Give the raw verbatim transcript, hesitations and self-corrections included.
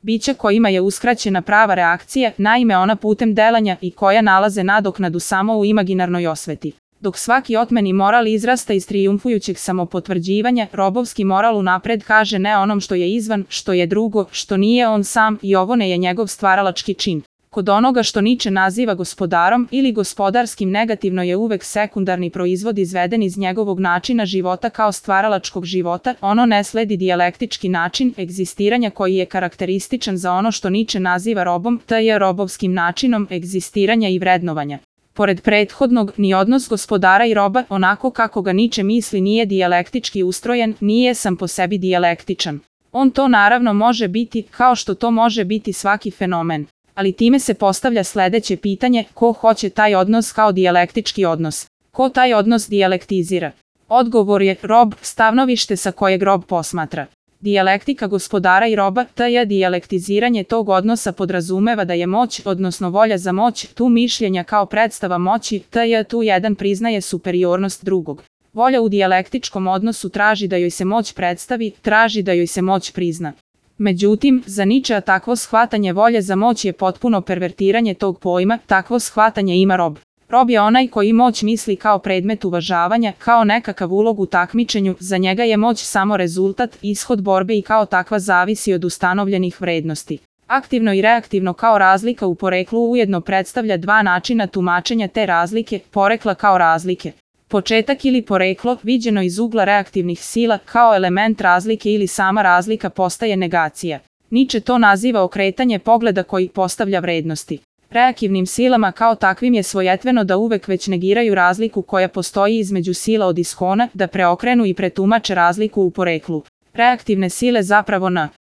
bića kojima je uskraćena prava reakcija, naime ona putem delanja i koja nalaze nadoknadu samo u imaginarnoj osveti. Dok svaki otmeni moral izrasta iz trijumfujućeg samopotvrđivanja, robovski moral unapred kaže ne onom što je izvan, što je drugo, što nije on sam i ovo ne je njegov stvaralački čin. Kod onoga što Niče naziva gospodarom ili gospodarskim negativno je uvek sekundarni proizvod izveden iz njegovog načina života kao stvaralačkog života, ono ne sledi dijalektički način egzistiranja koji je karakterističan za ono što Niče naziva robom, te je robovskim načinom egzistiranja i vrednovanja. Pored prethodnog, ni odnos gospodara i roba, onako kako ga Niče misli, nije dijalektički ustrojen, nije sam po sebi dijalektičan. On to naravno može biti, kao što to može biti svaki fenomen. Ali time se postavlja sledeće pitanje, ko hoće taj odnos kao dijalektički odnos? Ko taj odnos dijalektizira? Odgovor je rob, stavnovište sa kojeg rob posmatra. Dijalektika gospodara i roba, te dijalektiziranje tog odnosa podrazumeva da je moć, odnosno volja za moć, tu mišljenja kao predstava moći, te tu jedan priznaje superiornost drugog. Volja u dijalektičkom odnosu traži da joj se moć predstavi, traži da joj se moć prizna. Međutim, za Ničea takvo shvatanje volje za moć je potpuno pervertiranje tog pojma, takvo shvatanje ima rob. Rob je onaj koji moć misli kao predmet uvažavanja, kao nekakav ulog u takmičenju, za njega je moć samo rezultat, ishod borbe i kao takva zavisi od ustanovljenih vrednosti. Aktivno i reaktivno kao razlika u poreklu ujedno predstavlja dva načina tumačenja te razlike, porekla kao razlike. Početak ili poreklo, viđeno iz ugla reaktivnih sila, kao element razlike ili sama razlika postaje negacija. Niče to naziva okretanje pogleda koji postavlja vrednosti. Reaktivnim silama kao takvim je svojetveno da uvek već negiraju razliku koja postoji između sila od ishona, da preokrenu i pretumače razliku u poreklu. Reaktivne sile zapravo na